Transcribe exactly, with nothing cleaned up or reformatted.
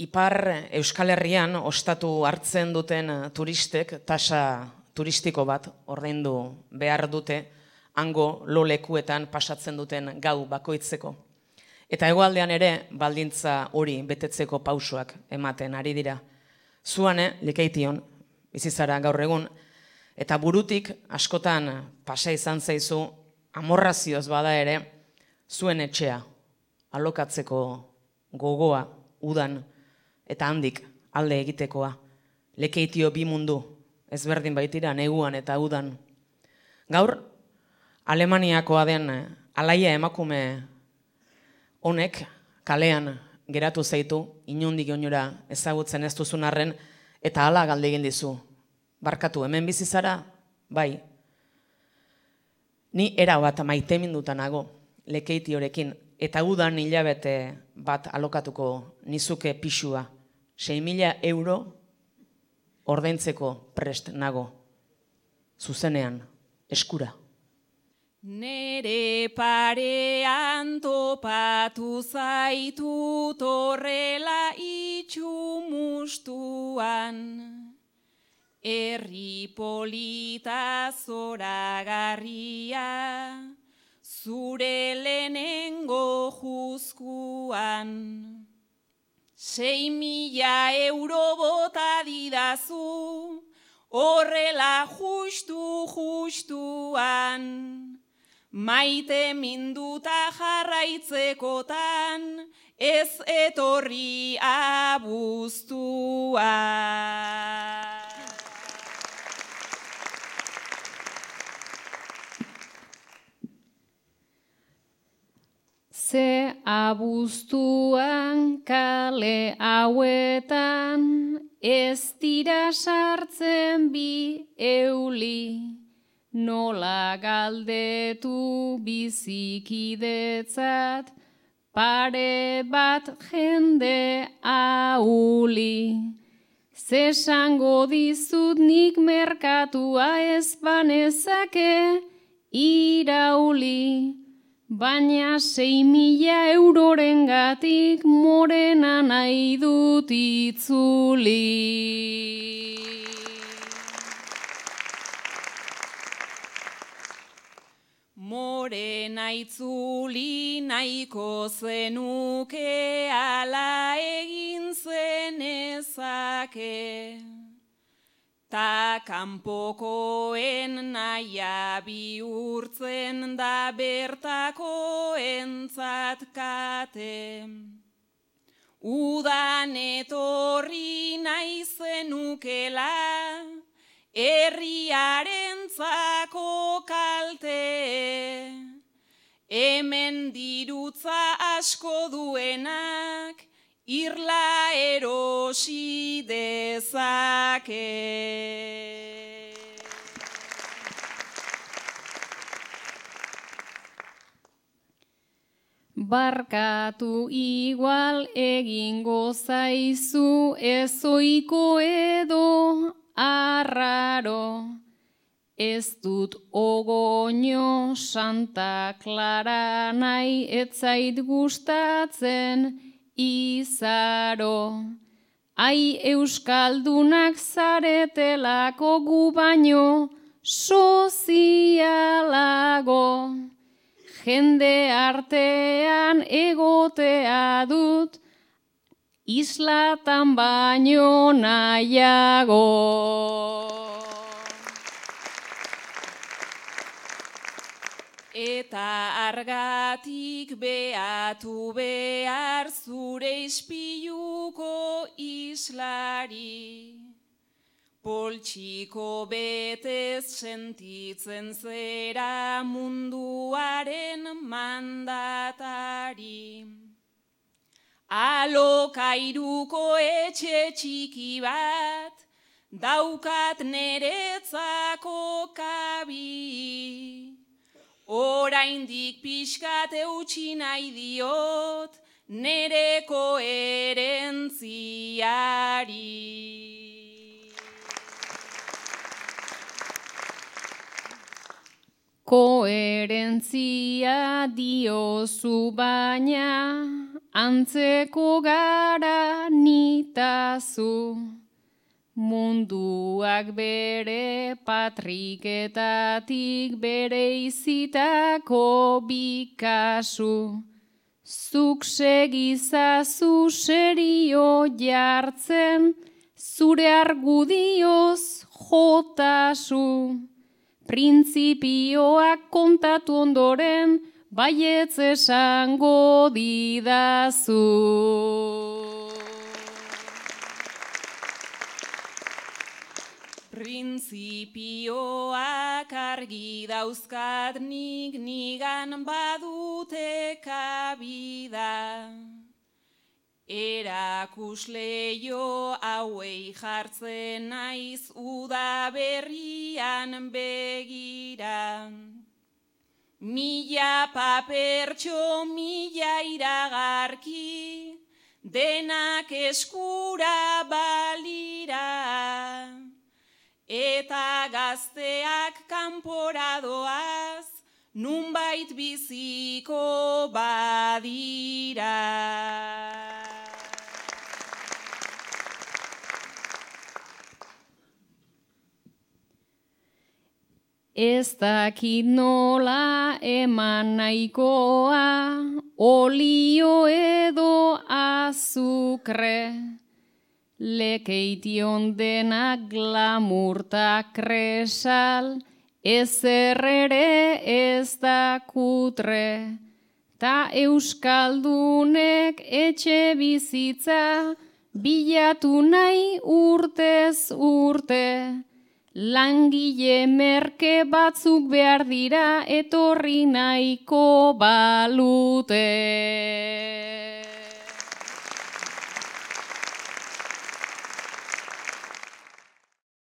Ipar Euskal Herrian ostatu hartzen duten turistek tasa turistiko bat ordaindu behar dute hango lo lekuetan pasatzen duten gau bakoitzeko. Eta hegoaldean ere baldintza hori betetzeko pausoak ematen ari dira. Zuane, Lekeition, bizizara gaur egun, eta burutik askotan pasa izan zaizu amorrazioz bada ere zuen etxea alokatzeko gogoa udan eta handik alde egitekoa. Lekeitio bi mundu ezberdin baitira neguan eta udan. Gaur, Alemaniakoa den alaia emakume honek kalean geratu zaitu, inondik oinora ezagutzen ez duzun arren, eta hala galde egin dizu. Barkatu, hemen bizi zara? Bai. Ni era bat maiteminduta nago Lekeitiorekin, eta udan hilabete bat alokatuko nizuke pixua. sei mila euro ordaintzeko prest nago. Zuzenean, eskura. Nere parean topatu zaitut horrela itxumustuan, herri polita zoragarria, zure lehenengo juzkuan. Sei mila euro bota didazu, horrela justu justuan. Maite minduta jarraitzekotan, ez etorri abuztua. Ze abuztuan kale hauetan, ez dira sartzen bi euli. Nola galdetu bizikidetzat, pare bat jende auli. Zesango dizut nik merkatua ez banezake irauli, baina sei mila euroren gatik morena nahi dut itzuli. Morena itzuli nahiko zenuke, ala egin zenezake. Ta kanpokoen naia bihurtzen da bertakoentzat kate. Udan etorri nahi zenukela, herriarentzako kalte. Hemen dirutza asko duenak, irla erosi dezake. Barkatu igual egingo zaizu, ezoiko edo arraro. Ez dut ogoño Santa Clara nahi, ez zait gustatzen izaro. Ai euskaldunak zaretelako gu baino sozialago. Jende artean egotea dut, islatan baino nahiago. Eta argatik beatu behar zure ispiluko islari. Poltsiko betez sentitzen zera munduaren mandatari. Alokairuko etxe txiki bat, daukat neretzako kabi. Oraindik pixkat eutsi nahi diot, nere koherentziari. Koherentzia diozu baina, antzeko gara ni didazu. Munduak bere patriketatik bere izitako bikasu. Zuk segizazu serio jartzen, zure argudioz jotasu. Printzipioak kontatu ondoren, baietz esango didazu. Printzipioak argi dauzkat nik nigan badute kabida. Erakusleio hauei jartzen naiz udaberrian begira. Mila papertxo, mila iragarki, denak eskura balira. Eta gazteak kanporadoaz, nunbait biziko badira. Ez dakit nola eman nahikoa, olio edo azukre. Lekeition denak glamurta kresal, ezer ere ez da kutre. Ta euskaldunek etxe bizitza, bilatu nahi urtez urte. Langile merke batzuk behar dira etorri nahiko balute.